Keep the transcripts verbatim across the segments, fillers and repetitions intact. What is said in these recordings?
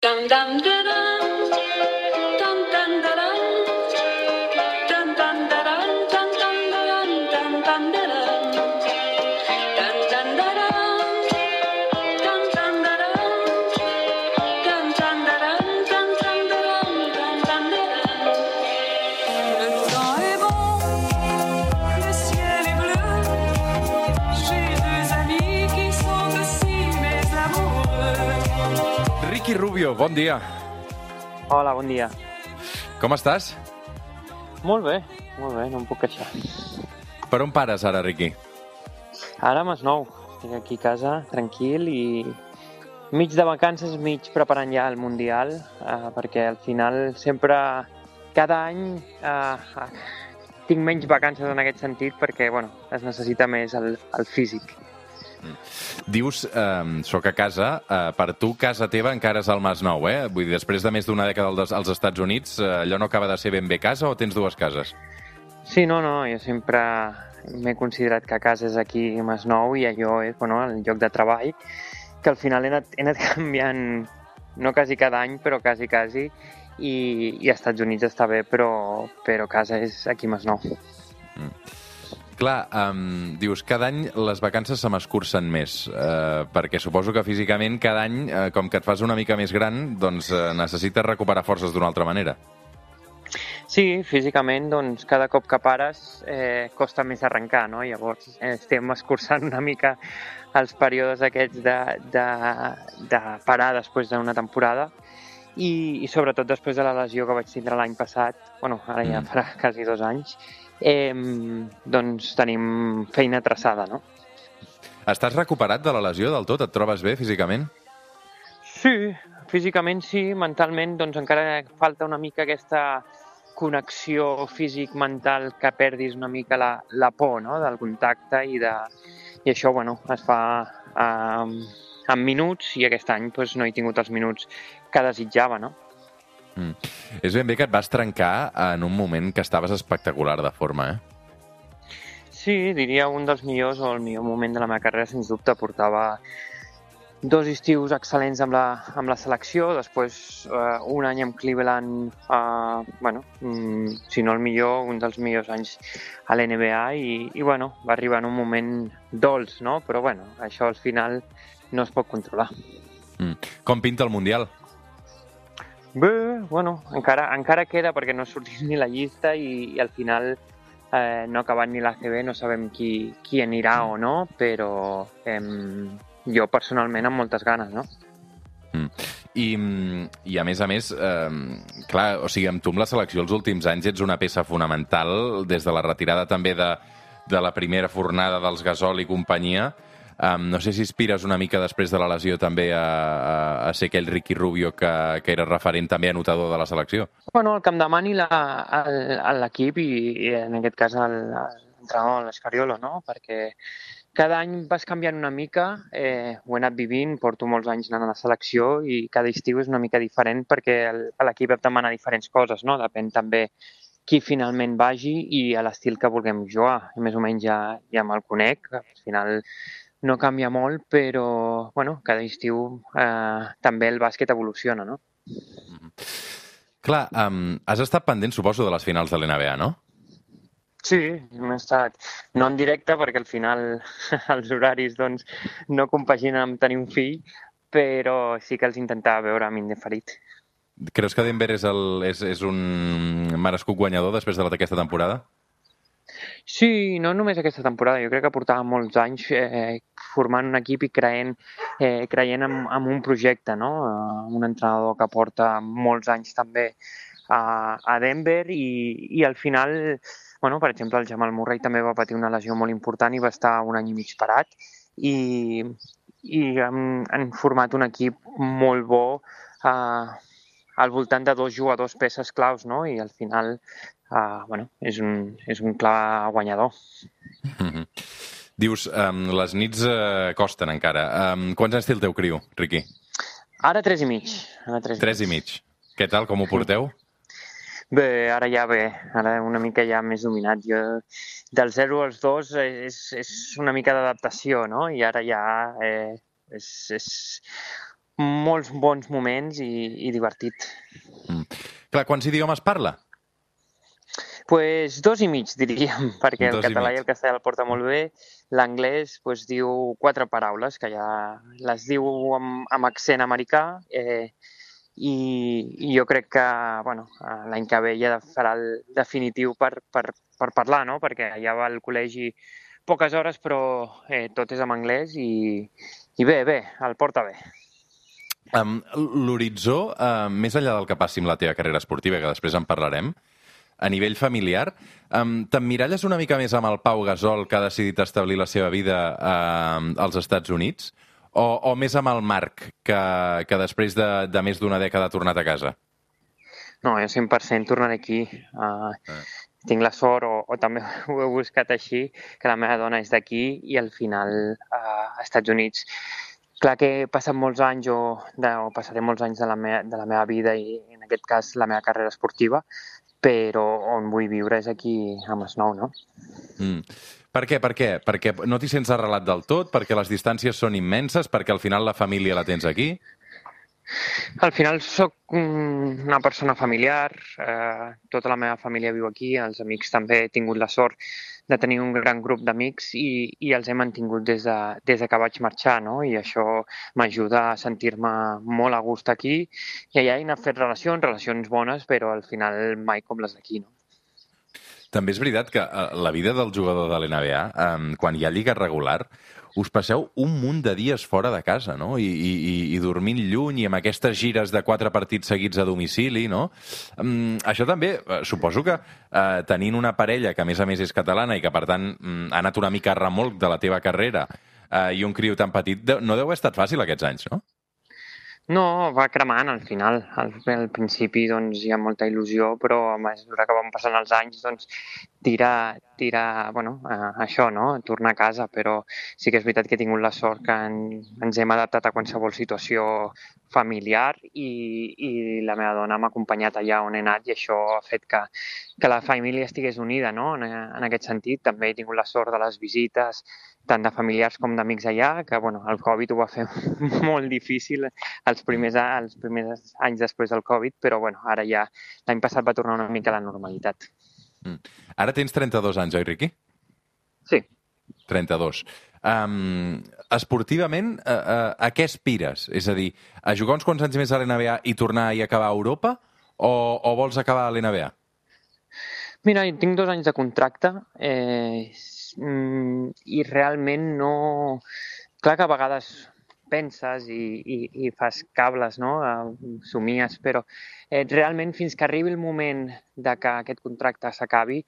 Dum dum da dum, dum dum da dum, dum dum da dum, dum dum da dum, dum dum da dum, dum dum da dum, dum dum da dum, dum dum da dum, dum dum da dum, dum dum da dum. Le temps est bon, le ciel est bleu. J'ai deux amis qui sont aussi mes amoureux. Ricky Rubio, bon dia. Hola, bon dia. Com estàs? Molt bé, molt bé, no em puc queixar. Per on pares ara, Ricky? Ara a Masnou, estic aquí a casa, tranquil i mig de vacances, mig preparant ja el Mundial, eh, perquè al final sempre, cada any, eh, tinc menys vacances en aquest sentit perquè, bueno, es necessita més el, el físic. Dius, eh, soc a casa, eh, per tu casa teva encara és al Masnou, eh? Vull dir, després de més d'una dècada als, als Estats Units, eh, allò no acaba de ser ben bé casa o tens dues cases? Sí, no, no, jo sempre m'he considerat que casa és aquí a Masnou i allò és, bueno, el lloc de treball, que al final he anat, he anat canviant, no quasi cada any, però quasi, quasi, i, i als Estats Units està bé, però, però casa és aquí a Masnou. Mm. Clar, um, dius, cada any les vacances se m'escurcen més, eh, perquè suposo que físicament cada any, eh, com que et fas una mica més gran, doncs eh, necessites recuperar forces d'una altra manera. Sí, físicament, doncs, cada cop que pares eh, costa més arrencar, no? Llavors eh, estem escurçant una mica els períodes aquests de, de, de parar després d'una temporada i, i sobretot després de la lesió que vaig tindre l'any passat, bueno, ara ja Mm. farà quasi dos anys, eh, doncs tenim feina traçada, no? Estàs recuperat de la lesió del tot? Et trobes bé físicament? Sí, físicament sí, mentalment doncs encara falta una mica aquesta connexió físic-mental que perdis una mica la, la por, no?, del contacte i, de, i això, bueno, es fa eh, en minuts i aquest any doncs, no he tingut els minuts que desitjava, no? Mm. És ben bé que et vas trencar en un moment que estaves espectacular de forma, eh? Sí, diria un dels millors o el millor moment de la meva carrera, sens dubte. Portava dos estius excel·lents amb la, amb la selecció, després eh, un any amb Cleveland, eh, bueno, mm, si no el millor, un dels millors anys a l'N B A i, i bueno, va arribar en un moment dolç, no? Però bueno, això al final no es pot controlar. Mm. Com pinta el Mundial? Bé, bueno, encara, encara queda perquè no ha sortit ni la llista i, i al final eh, no ha acabat ni l'A C B, no sabem qui, qui anirà o no, però eh, jo personalment amb moltes ganes, no? Mm. I, I a més a més, eh, clar, o sigui, amb tu amb la selecció els últims anys ets una peça fonamental des de la retirada també de, de la primera fornada dels Gasol i companyia. Um, no sé si aspires una mica després de la lesió també a, a, a ser aquell Ricky Rubio que, que era referent també anotador de la selecció. Bueno, el que em demani l'equip i, i en aquest cas l'entrenador, l'Escariolo, no? Perquè cada any vas canviant una mica, eh, ho he anat vivint, porto molts anys anant a la selecció i cada estiu és una mica diferent perquè l'equip et demana diferents coses, no? Depèn també qui finalment vagi i a l'estil que vulguem jugar. Més o menys ja, ja me'l conec, al final no canvia molt, però bueno, cada estiu eh, també el bàsquet evoluciona, no? Mm-hmm. Clar, um, has estat pendent, suposo, de les finals de l'N B A, no? Sí, hem estat, no en directe perquè al final els horaris doncs, no compaginen amb tenir un fill, però sí que els intentava veure amb indeferit. Creus que Denver és, el, és, és un merescut guanyador després d'aquesta temporada? Sí, no només aquesta temporada, jo crec que portava molts anys eh, formant un equip i creient, eh, creient en, en un projecte, no? Un entrenador que porta molts anys també a, a Denver i, i al final, bueno, per exemple, el Jamal Murray també va patir una lesió molt important i va estar un any i mig parat i, i han, han format un equip molt bo eh, al voltant de dos jugadors peces claus, no? I al final Uh, bueno, és un, és un clar guanyador. Mm-hmm. Dius, um, les nits uh, costen encara. Um, quants anys té el teu criu, Ricky? Ara tres i mig. Ara tres, tres i mig. Què tal, com ho porteu? Bé, ara ja bé. Ara una mica ja més dominat. Jo, del zero als dos és, és una mica d'adaptació, no? I ara ja eh, és, és molts bons moments i, i divertit. Mm. Clar, quants idiomes parla? Pues dos i mig, diríem, perquè el Dos i català mig. i el castellà el porta molt bé. L'anglès pues, diu quatre paraules, que ja les diu amb, amb accent americà, eh, i, i jo crec que bueno, l'any que ve ja farà el definitiu per, per, per parlar, no? Perquè ja va al col·legi poques hores, però eh, tot és en anglès i, i bé, bé, el porta bé. Um, L'horitzó, uh, més enllà del que passi amb la teva carrera esportiva, que després en parlarem, a nivell familiar, um, t'emmiralles una mica més amb el Pau Gasol, que ha decidit establir la seva vida uh, als Estats Units, o, o més amb el Marc, que, que després de, de més d'una dècada ha tornat a casa? No, jo cent per cent tornaré aquí. Uh, ah. Tinc la sort, o, o també ho he buscat així, que la meva dona és d'aquí i al final uh, als Estats Units. Clar que he passat molts anys o, de, o passaré molts anys de la, me, de la meva vida i en aquest cas la meva carrera esportiva, però on vull viure és aquí a Masnou, no? Mm. Per què? Per què? Perquè no t'hi sents arrelat del tot? Perquè les distàncies són immenses? Perquè al final la família la tens aquí? Al final sóc una persona familiar, eh, tota la meva família viu aquí, els amics també he tingut la sort de tenir un gran grup d'amics i, i els he mantingut des de, des de que vaig marxar, no? I això m'ajuda a sentir-me molt a gust aquí i allà he anat fet relacions, relacions bones, però al final mai com les d'aquí, no? També és veritat que la vida del jugador de l'N B A, eh, quan hi ha lliga regular, us passeu un munt de dies fora de casa, no? I, i, i dormint lluny i amb aquestes gires de quatre partits seguits a domicili, no? Um, això també, eh, suposo que eh, tenint una parella que a més a més és catalana i que per tant um, ha anat una mica a remolc de la teva carrera eh, i un criu tan petit, no deu haver estat fàcil aquests anys, no? No, va cremant al final. Al, al principi doncs, hi ha molta il·lusió, però a mesura que van passant els anys doncs, tira, tira bueno, eh, això, no? Tornar a casa, però sí que és veritat que he tingut la sort que en, ens hem adaptat a qualsevol situació familiar i, i la meva dona m'ha acompanyat allà on he anat i això ha fet que, que la família estigués unida, no? En, en aquest sentit. També he tingut la sort de les visites tant de familiars com d'amics allà, que bueno, el Covid ho va fer molt difícil els primers, els primers anys després del Covid, però bueno, ara ja l'any passat va tornar una mica a la normalitat. Mm. Ara tens trenta-dos anys, oi, Riqui? Sí. trenta-dos. Um, esportivament, uh, uh, a què aspires? És a dir, a jugar uns quants anys més a l'N B A i tornar i acabar a Europa, o, o vols acabar a l'N B A? Mira, tinc dos anys de contracte, eh, i realment no... Clar que a vegades penses i, i, i fas cables, no? Somies, però eh, realment fins que arribi el moment de que aquest contracte s'acabi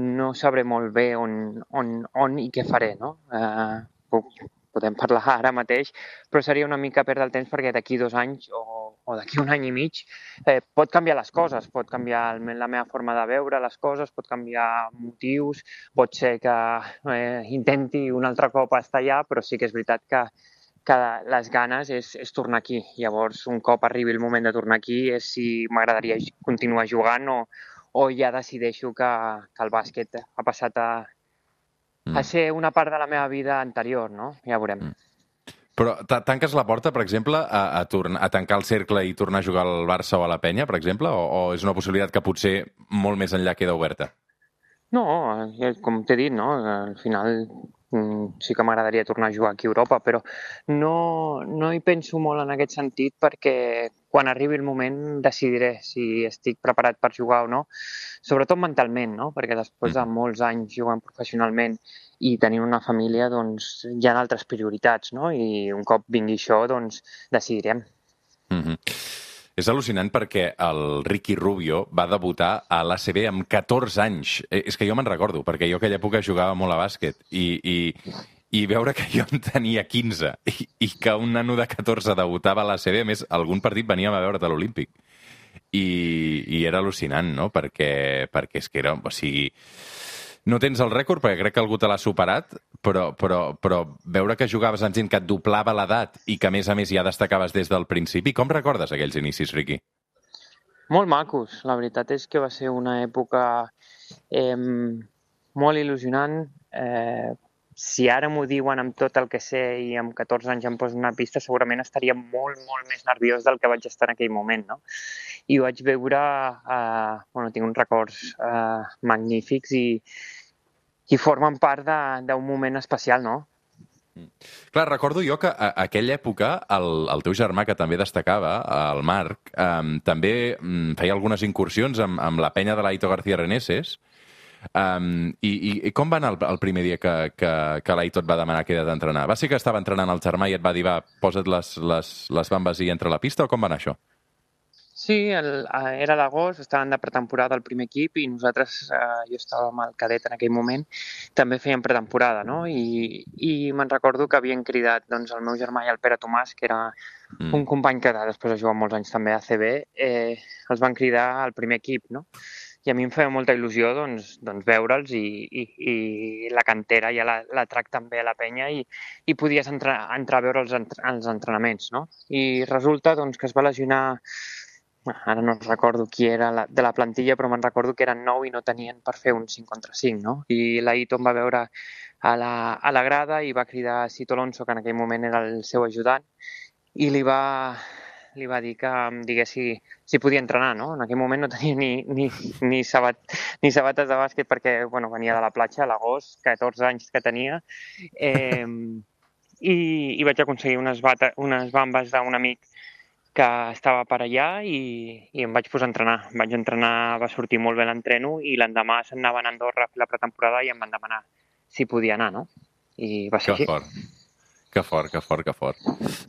no sabré molt bé on, on, on i què faré, no? Eh, puc, podem parlar ara mateix, però seria una mica perdre el temps perquè d'aquí dos anys o, o d'aquí un any i mig eh, pot canviar les coses, pot canviar la meva forma de veure les coses, pot canviar motius, pot ser que eh, intenti un altre cop estar allà, però sí que és veritat que, que les ganes és, és tornar aquí. Llavors, un cop arribi el moment de tornar aquí és si m'agradaria continuar jugant o, o ja decideixo que, que el bàsquet ha passat a a ser una part de la meva vida anterior, no? Ja veurem. Mm. Però tanques la porta, per exemple, a, a, tornar, a tancar el cercle i tornar a jugar al Barça o a la Penya, per exemple? O, o és una possibilitat que potser molt més enllà queda oberta? No, com t'he dit, no? Al final sí que m'agradaria tornar a jugar aquí a Europa, però no, no hi penso molt en aquest sentit perquè quan arribi el moment decidiré si estic preparat per jugar o no, sobretot mentalment, no? Perquè després de molts anys jugant professionalment i tenint una família, doncs hi ha altres prioritats, no? I un cop vingui això, doncs decidirem. Mm-hmm. És al·lucinant perquè el Ricky Rubio va debutar a l'A C B amb catorze anys. És que jo me'n recordo, perquè jo aquella època jugava molt a bàsquet i, i, i veure que jo en tenia quinze i, i que un nano de catorze debutava a l'A C B, a més, algun partit veníem a veure't a l'Olímpic. I, i era al·lucinant, no? Perquè, perquè és que era... O sigui, no tens el rècord, perquè crec que algú te l'ha superat, però, però, però veure que jugaves amb gent que et doblava l'edat i que, a més a més, ja destacaves des del principi. Com recordes aquells inicis, Riqui? Molt macos. La veritat és que va ser una època eh, molt il·lusionant. Eh, si ara m'ho diuen amb tot el que sé i amb catorze anys em poso una pista, segurament estaria molt, molt més nerviós del que vaig estar en aquell moment, no? I ho vaig veure, eh, bueno, tinc uns records eh, magnífics i, i formen part d'un moment especial, no? Clar, recordo jo que a aquella època el, el teu germà, que també destacava, el Marc, eh, també mm, feia algunes incursions amb, amb la penya de l'Aito García Reneses. Um, i, i, I com va anar el, el primer dia que, que, que l'Aito et va demanar que ella d'entrenar? Va ser que estava entrenant el germà i et va dir, va, posa't les, les, les bambes i entra a la pista, o com va anar això? Sí, el, era l'agost, estaven de pretemporada al primer equip i nosaltres, eh, jo estava amb el cadet en aquell moment, també fèiem pretemporada, no? I, i me'n recordo que havien cridat doncs, el meu germà i el Pere Tomàs, que era mm. un company que després ha jugat molts anys també a A C B, eh, els van cridar al primer equip, no? I a mi em feia molta il·lusió doncs, doncs veure'ls i, i, i la cantera ja la, la trac també a la penya i, i podies entrar, entrar a veure els, entre, els entrenaments, no? I resulta doncs, que es va lesionar, ara no recordo qui era la, de la plantilla, però me'n recordo que eren nou i no tenien per fer un cinc contra cinc, no? I l'Aito em va veure a la, a la grada i va cridar a Cito Alonso, que en aquell moment era el seu ajudant, i li va, li va dir que em digués si, si podia entrenar, no? En aquell moment no tenia ni, ni, ni, sabat, ni sabates de bàsquet perquè bueno, venia de la platja a l'agost, catorze anys que tenia, eh, i, i vaig aconseguir unes, bata, unes bambes d'un amic que estava per allà i, i em vaig posar a entrenar. Em vaig entrenar, va sortir molt bé l'entreno i l'endemà se'n anaven a Andorra a fer la pretemporada i em van demanar si podia anar, no? I va ser que així. Fort. Que fort, que fort, que fort.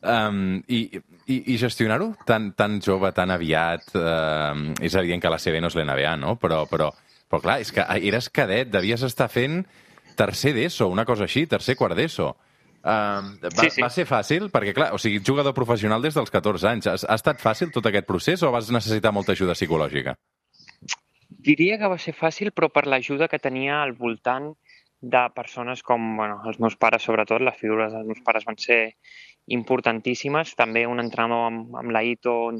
Um, i, i, I gestionar-ho tan, tan jove, tan aviat, uh, és evident que la C B no és l'N B A, no? Però, però, però clar, és que eres cadet, devies estar fent tercer d'ESO, una cosa així, tercer quart d'ESO. Uh, va, sí, sí. va ser fàcil? Perquè, clar, o sigui, jugador professional des dels catorze anys. Ha, ha estat fàcil tot aquest procés o vas necessitar molta ajuda psicològica? Diria que va ser fàcil, però per l'ajuda que tenia al voltant de persones com bueno, els meus pares, sobretot, les figures dels meus pares van ser importantíssimes. També un entrenador amb, amb l'Aito on,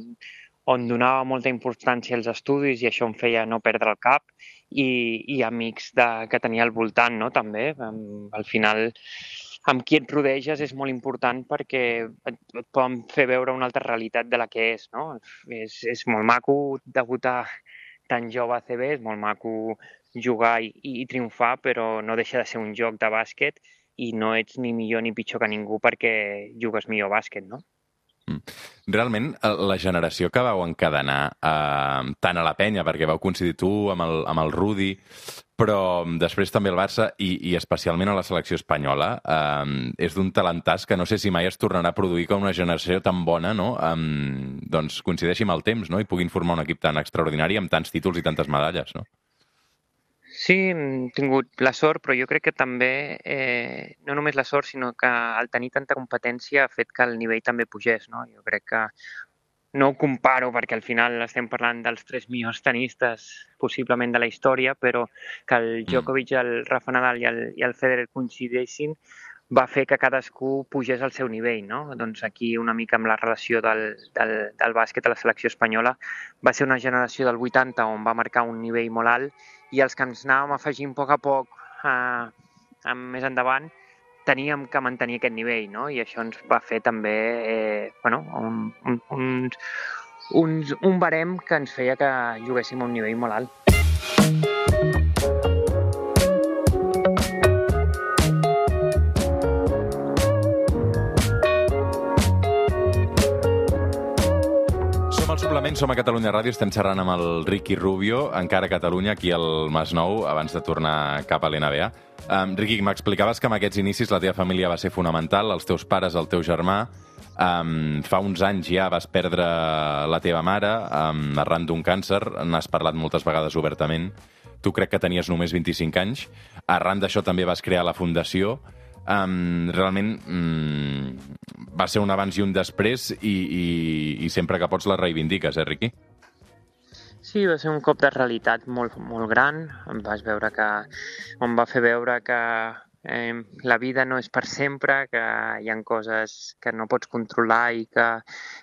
on donava molta importància als estudis i això em feia no perdre el cap, i, i amics de, que tenia al voltant, no? També. Al final, amb qui et rodeges és molt important perquè et, et poden fer veure una altra realitat de la que és, no? És, és molt maco debutar tan jove a C B, és molt maco jugar i, i triomfar, però no deixa de ser un joc de bàsquet i no ets ni millor ni pitjor que ningú perquè jugues millor bàsquet, no? Realment, la generació que vau encadenar eh, tant a la penya, perquè vau coincidir tu amb el, amb el Rudi, però després també el Barça i, i especialment a la selecció espanyola, eh, és d'un talentàs que no sé si mai es tornarà a produir com una generació tan bona, no? Eh, doncs coincideixi amb el temps, no? I puguin formar un equip tan extraordinari amb tants títols i tantes medalles, no? Sí, hem tingut la sort, però jo crec que també, eh, no només la sort, sinó que el tenir tanta competència ha fet que el nivell també pugés, no? Jo crec que no ho comparo perquè al final estem parlant dels tres millors tenistes possiblement de la història, però que el Djokovic, el Rafa Nadal i el, i el Federer coincideixin va fer que cadascú pugés al seu nivell, no? Doncs aquí una mica amb la relació del, del, del bàsquet a la selecció espanyola va ser una generació del vuitanta on va marcar un nivell molt alt i els que ens anàvem afegint a poc a poc eh, més endavant teníem que mantenir aquest nivell, no? I això ens va fer també eh, bueno, un, un, un, un, un barem que ens feia que juguéssim a un nivell molt alt. Som a Catalunya Ràdio, estem xerrant amb el Ricky Rubio, encara a Catalunya, aquí al Masnou, abans de tornar cap a l'N B A. Um, Ricky, m'explicaves que amb aquests inicis la teva família va ser fonamental, els teus pares, el teu germà. Um, fa uns anys ja vas perdre la teva mare um, arran d'un càncer, n'has parlat moltes vegades obertament. Tu crec que tenies només vint-i-cinc anys. Arran d'això també vas crear la fundació. Um, realment um, va ser un abans i un després i, i, i sempre que pots la reivindiques, eh, Riqui? Sí, va ser un cop de realitat molt, molt gran. Em vas veure que, em va fer veure que eh, la vida no és per sempre, que hi ha coses que no pots controlar i que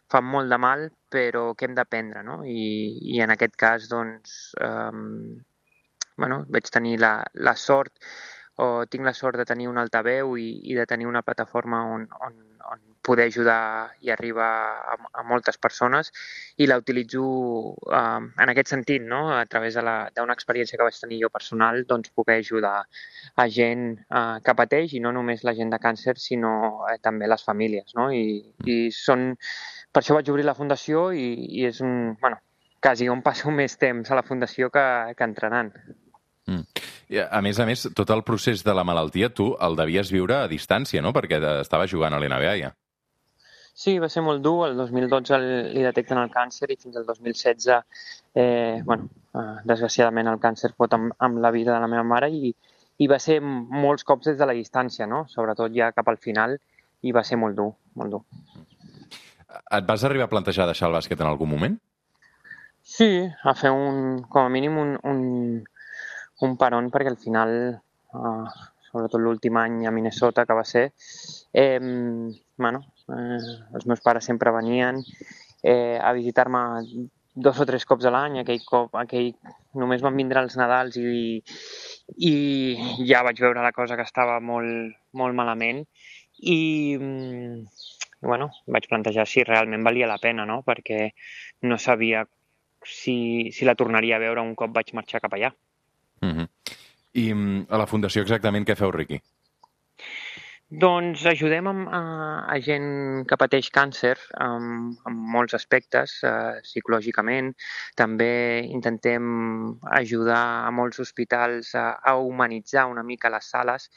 fan molt de mal, però que hem d'aprendre, no? I, i en aquest cas, doncs, eh, bueno, vaig tenir la, la sort o tinc la sort de tenir un altaveu i, i de tenir una plataforma on, on, on poder ajudar i arribar a, a moltes persones, i la utilitzo eh, en aquest sentit, no? A través d'una experiència que vaig tenir jo personal, doncs poder ajudar a gent eh, que pateix, i no només la gent de càncer, sinó eh, també les famílies, no? I, i són... Per això vaig obrir la fundació i, i és un... Bueno, quasi on passo més temps a la fundació que, que entrenant. Mm. I a més a més, tot el procés de la malaltia tu el devies viure a distància, no? Perquè estaves jugant a l'N B A ja. Sí, va ser molt dur. El dos mil dotze li detecten el càncer i fins al dos mil setze, eh, bueno, eh, desgraciadament el càncer pot amb, amb la vida de la meva mare, i, i va ser molts cops des de la distància, no? Sobretot ja cap al final, i va ser molt dur, molt dur. Et vas arribar a plantejar deixar el bàsquet en algun moment? Sí, a fer un, com a mínim un, un, un paron, perquè al final, eh, sobretot l'últim any a Minnesota, que va ser, eh, bueno, eh, els meus pares sempre venien eh, a visitar-me dos o tres cops a l'any. Aquell cop, aquell, només van vindre els Nadals i, i ja vaig veure la cosa que estava molt, molt malament, i bueno, vaig plantejar si realment valia la pena, no? Perquè no sabia si, si la tornaria a veure un cop vaig marxar cap allà. Mm-hmm. I a la fundació exactament què feu, Riqui? Doncs ajudem a, a, a gent que pateix càncer en, en molts aspectes, eh, psicològicament. També intentem ajudar a molts hospitals a, a humanitzar una mica les sales,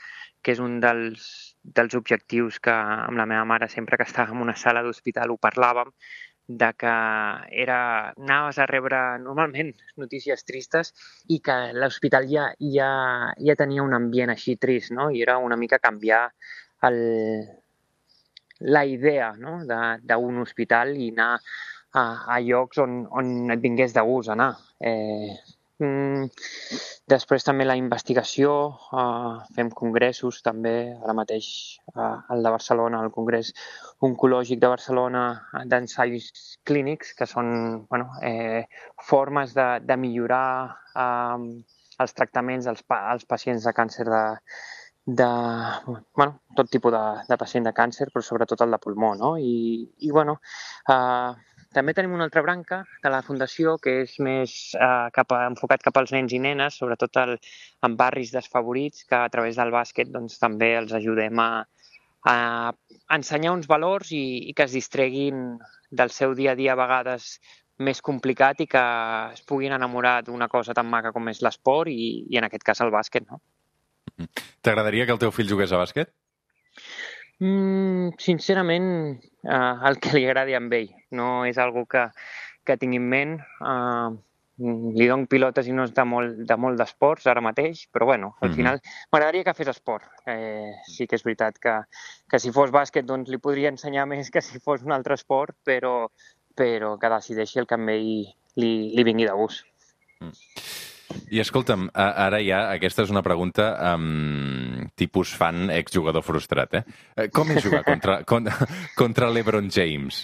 que és un dels, dels objectius que amb la meva mare, sempre que estàvem en una sala d'hospital, ho parlàvem, de que era, anaves a rebre normalment notícies tristes i que l'hospital ja, ja, ja tenia un ambient així trist, no? I era una mica canviar el, la idea, no? d'un hospital i anar a, a llocs on, on et vingués de gust anar. Eh, mm, després també la investigació, eh, fem congressos també, ara mateix eh, el de Barcelona, el Congrés Oncològic de Barcelona, d'ensaios clínics, que són bueno, eh, formes de, de millorar eh, els tractaments als, als pacients de càncer de, de bueno, tot tipus de, de pacient de càncer, però sobretot el de pulmó, no? I, i bueno, eh, també tenim una altra branca de la fundació que és més eh, cap a, enfocat cap als nens i nenes, sobretot el, en barris desfavorits, que a través del bàsquet doncs, també els ajudem a, a ensenyar uns valors i, i que es distreguin del seu dia a dia a vegades més complicat i que es puguin enamorar d'una cosa tan maca com és l'esport i, i en aquest cas el bàsquet, no? T'agradaria que el teu fill jugués a bàsquet? Mm, sincerament, eh, el que li agradi a ell. No és algo que, que tingui en ment. Eh, li dono pilotes i no és de molt, de molt d'esports ara mateix, però bueno, al final mm-hmm. m'agradaria que fes esport. Eh, sí que és veritat que, que si fos bàsquet doncs li podria ensenyar més que si fos un altre esport, però, però que decideixi el que a ell li, li vingui de gust. Mm. I escolta'm, ara ja, aquesta és una pregunta um, tipus fan exjugador frustrat, eh? Com és jugar contra, contra, contra l'Ebron James?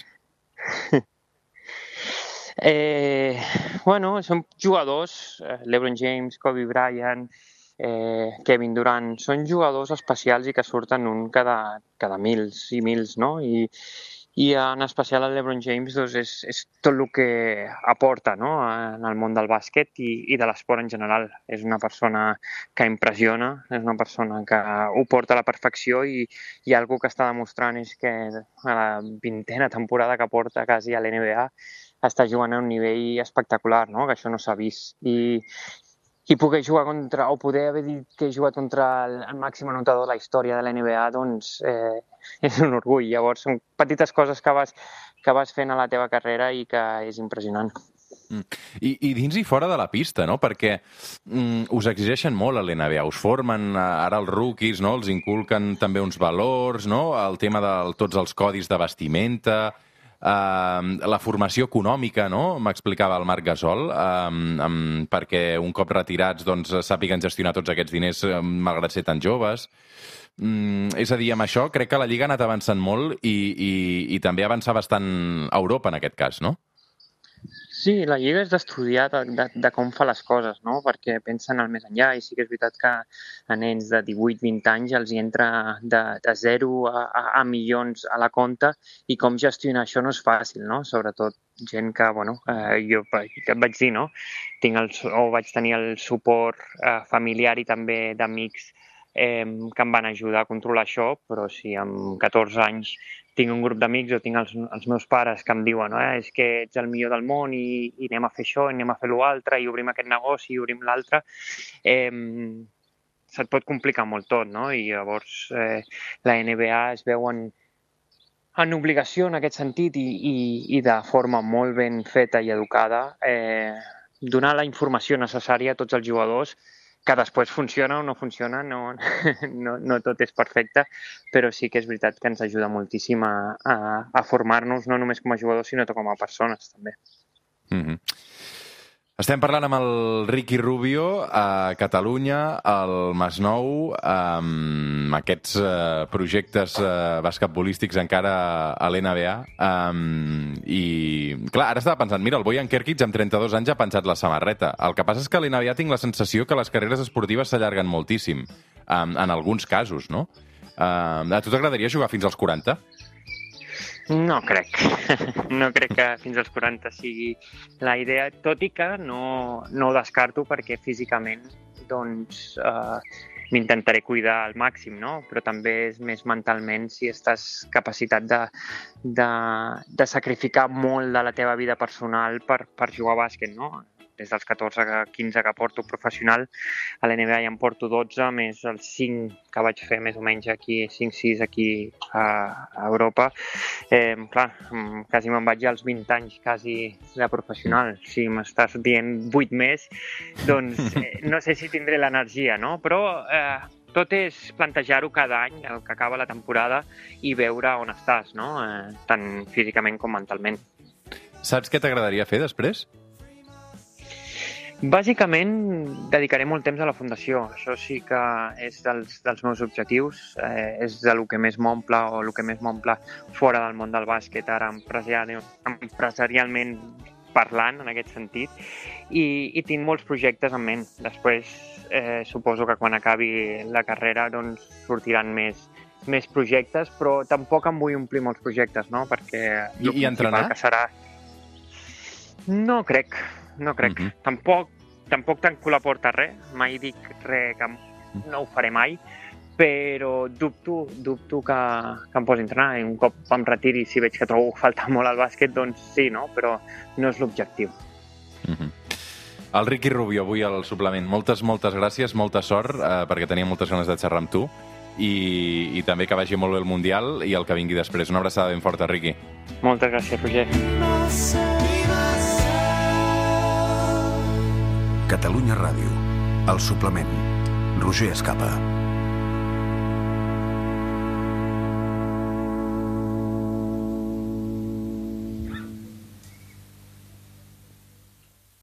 Eh, bueno, són jugadors, eh, l'Ebron James, Kobe Bryant, eh, Kevin Durant, són jugadors especials i que surten un cada, cada mils i mils, no? I, i en especial el LeBron James doncs, és, és tot el que aporta, no? En el món del bàsquet i, i de l'esport en general. És una persona que impressiona, és una persona que ho porta a la perfecció i, i algo que està demostrant és que a la vintena temporada que porta quasi a l'N B A està jugant a un nivell espectacular, no? Que això no s'ha vist. I, i poder jugar contra, o poder haver dit que he jugat contra el, el màxim anotador de la història de l'N B A, doncs eh, és un orgull. Llavors, són petites coses que vas, que vas fent a la teva carrera i que és impressionant. Mm. I, I dins i fora de la pista, no? Perquè mm, us exigeixen molt a l'N B A, us formen ara els rookies, no? Els inculquen també uns valors, no? El tema de tots els codis de vestimenta, Uh, la formació econòmica, no? M'explicava el Marc Gasol, um, um, perquè un cop retirats doncs, sàpiguen gestionar tots aquests diners um, malgrat ser tan joves. Um, és a dir, amb això crec que la Lliga ha anat avançant molt i, i, i també avançar bastant a Europa en aquest cas, no? Sí, la Lliga és d'estudiar de, de, de com fa les coses, no? Perquè pensen al més enllà i sí que és veritat que a nens de divuit vint anys els hi entra de, de zero a, a, a milions a la compta i com gestionar això no és fàcil, no? Sobretot gent que, bueno, eh, jo que et vaig dir, no? Tinc el, o vaig tenir el suport eh, familiar i també d'amics eh, que em van ajudar a controlar això, però si amb catorze anys tinc un grup d'amics o tinc els, els meus pares que em diuen eh, és que ets el millor del món i, i anem a fer això, i anem a fer l'altre, i obrim aquest negoci, i obrim l'altre, eh, se't pot complicar molt tot, no? I llavors eh, la N B A es veu en, en obligació en aquest sentit i, i, i de forma molt ben feta i educada eh, donar la informació necessària a tots els jugadors, que després funciona o no funciona, no, no, no tot és perfecte, però sí que és veritat que ens ajuda moltíssim a, a, a formar-nos no només com a jugadors, sinó com a persones, també. Mm-hmm. Estem parlant amb el Ricky Rubio a Catalunya, al Masnou, amb aquests uh, projectes uh, basquetbolístics encara a l'N B A. Um, I, clar, ara estava pensant, mira, el Bojan Kerkic amb trenta-dos anys ha penjat la samarreta. El que passa és que a l'N B A tinc la sensació que les carreres esportives s'allarguen moltíssim, um, en alguns casos, no? Uh, a tu t'agradaria jugar fins als quaranta? No crec. No crec que fins als quaranta sigui la idea, tot i que no, no ho descarto perquè físicament doncs, eh, m'intentaré cuidar al màxim, no? Però també és més mentalment si estàs capacitat de, de, de sacrificar molt de la teva vida personal per, per jugar a bàsquet, no? Des dels catorze a quinze que porto professional, a l'N B A ja en porto dotze, més els cinc que vaig fer més o menys aquí, cinc sis aquí a, a Europa. Eh, clar, quasi me'n vaig als vint anys, quasi de professional. Si m'estàs dient vuit més, doncs eh, no sé si tindré l'energia, no? Però eh, tot és plantejar-ho cada any, el que acaba la temporada, i veure on estàs, no? Eh, tant físicament com mentalment. Saps què t'agradaria fer després? Bàsicament, dedicaré molt temps a la fundació. Això sí que és dels, dels meus objectius. Eh, és del que més m'omple o el que més m'omple fora del món del bàsquet, ara empresarial, empresarialment parlant, en aquest sentit. I, i tinc molts projectes en ment. Després, eh, suposo que quan acabi la carrera doncs, sortiran més, més projectes, però tampoc em vull omplir molts projectes, no? Perquè I, i entrenar? Que serà... No crec. No crec. Uh-huh. Tampoc, tampoc tanco la porta a res. Mai dic res que no ho faré mai, però dubto, dubto que, que em posi a entrenar. I un cop em retiri, si veig que trobo falta molt al bàsquet, doncs sí, no? Però no és l'objectiu. Uh-huh. El Ricky Rubio, avui al suplement. Moltes, moltes gràcies, molta sort, eh, perquè tenia moltes ganes de xerrar amb tu. I, i també que vagi molt bé el Mundial i el que vingui després. Una abraçada ben forta, Ricky. Moltes gràcies, Roger. Catalunya Ràdio, el suplement. Roger Escapa.